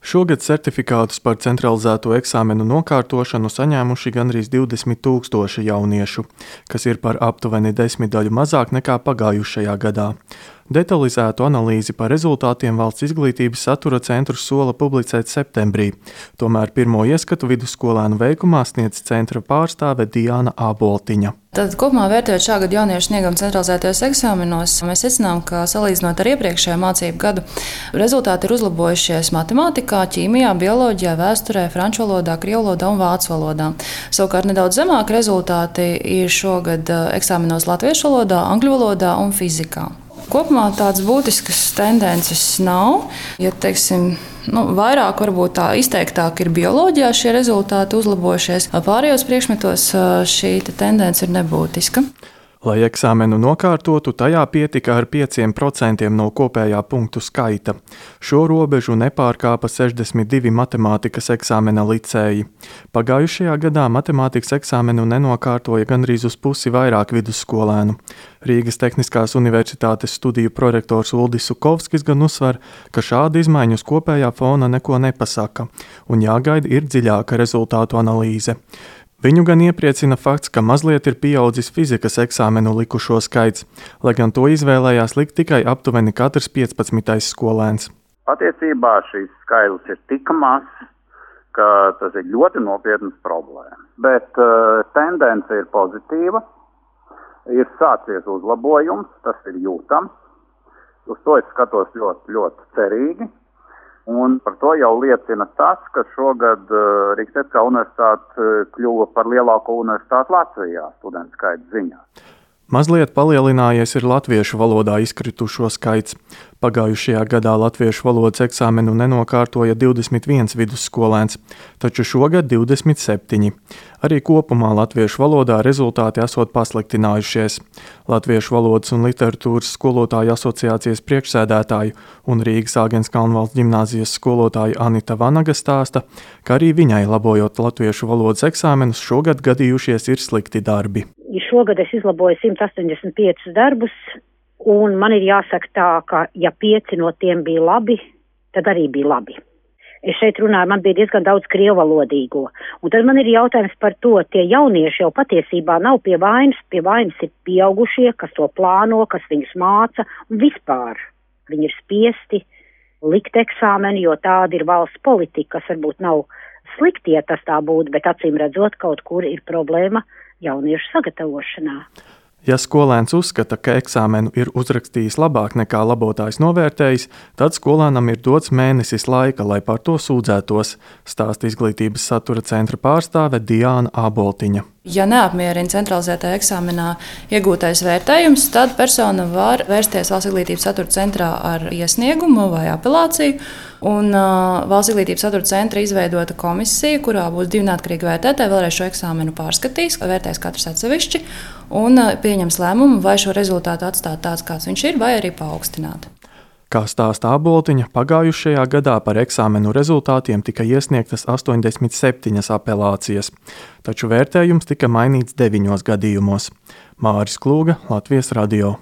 Šogad certifikātus par centralizēto eksāmenu nokārtošanu saņēmuši gandrīz 20 000 jauniešu, kas ir par aptuveni 10 daļu mazāk nekā pagājušajā gadā. Detalizētu analīzi par rezultātiem Valsts izglītības satura centrs sola publicēt septembrī, tomēr pirmo ieskatu vidusskolēnu veikumā sniedz centra pārstāve Diāna Āboltiņa. Tad kopumā vērtējot šā gada jauniešu sniegumu centralizētajos eksāmenos, mēs secinām, ka salīdzinot ar iepriekšējo mācību gadu, rezultāti ir uzlabojušies matemātikā, ķīmijā, bioloģijā, vēsturē, franču valodā, krievu valodā un vācu valodā. Savukārt nedaudz zemāki rezultāti ir šogad eksāmenos latviešu valodā, angļu valodā un fizikā. Kopumā tādas būtiskas tendences nav. Ja teiksim, vairāk, varbūt tā izteiktāk ir bioloģijā šie rezultāti uzlabojušies. Pārējos priekšmetos šī tendence ir nebūtiska. Lai eksāmenu nokārtotu, tajā pietika ar 5% no kopējā punktu skaita. Šo robežu nepārkāpa 62 matemātikas eksāmena licēji. Pagājušajā gadā matemātikas eksāmenu nenokārtoja gandrīz uz pusi vairāk vidusskolēnu. Rīgas Tehniskās universitātes studiju prorektors Uldis Sukovskis gan uzsver, ka šāda izmaiņu uz kopējā fona neko nepasaka, un jāgaida ir dziļāka rezultātu analīze. Viņu gan iepriecina fakts, ka mazliet ir pieaudzis fizikas eksāmenu likušo skaits, lai gan to izvēlējās likt tikai aptuveni katrs 15. skolēns. Patiesībā šīs skaitlis ir tik mazs, ka tas ir ļoti nopietnas problēmas. Bet tendence ir pozitīva, ir sācies uzlabojums, tas ir jūtams. Uz to es skatos ļoti, ļoti cerīgi. Un par to jau liecina tas, ka šogad Rīgas Tehniskā universitāte kļuva par lielāko universitāti Latvijā studentu skaita ziņā. Mazliet palielinājies ir latviešu valodā izkritušo skaits. Pagājušajā gadā latviešu valodas eksāmenu nenokārtoja 21 vidusskolēns, taču šogad 27. Arī kopumā latviešu valodā rezultāti esot pasliktinājušies. Latviešu valodas un literatūras skolotāju asociācijas priekšsēdētāju un Rīgas Āgens Kalnvalsts ģimnāzijas skolotāja Anita Vanaga stāsta, ka arī viņai labojot latviešu valodas eksāmenus šogad gadījušies ir slikti darbi. Šogad es izlaboju 185 darbus, un man ir jāsaka tā, ka ja 5 no tiem bija labi, tad arī bija labi. Es šeit runāju, man bija diezgan daudz krievalodīgo, un tad man ir jautājums par to, tie jaunieši jau patiesībā nav pie vainas ir pieaugušie, kas to plāno, kas viņus māca, un vispār viņi ir spiesti likt eksāmeni, jo tāda ir valsts politika, kas varbūt nav slikti, ja tas tā būtu, bet acīm redzot, kaut kur ir problēma jauniešu sagatavošanā. Ja skolēns uzskata, ka eksāmenu ir uzrakstījis labāk nekā labotājs novērtējis, tad skolēnam ir dots mēnesis laika, lai par to sūdzētos, stāsta izglītības satura centra pārstāve Diāna Āboltiņa. Ja neapmierina centralizētajā eksāmenā iegūtais vērtējums, tad persona var vērsties Valsts izglītības satura centrā ar iesniegumu vai apelāciju. Un Valsts izglītības satura centra izveidota komisija, kurā būs 2 neatkarīgi vērtētāji, vēlreiz šo eksāmenu pārskatīs, vērtēs katrs atsevišķi un pieņems lēmumu, vai šo rezultātu atstāt tāds, kāds viņš ir, vai arī paaugstināt. Kā stāsta Āboltiņa, pagājušajā gadā par eksāmenu rezultātiem tika iesniegtas 87 apelācijas, taču vērtējums tika mainīts 9 gadījumos. Māris Klūga, Latvijas radio.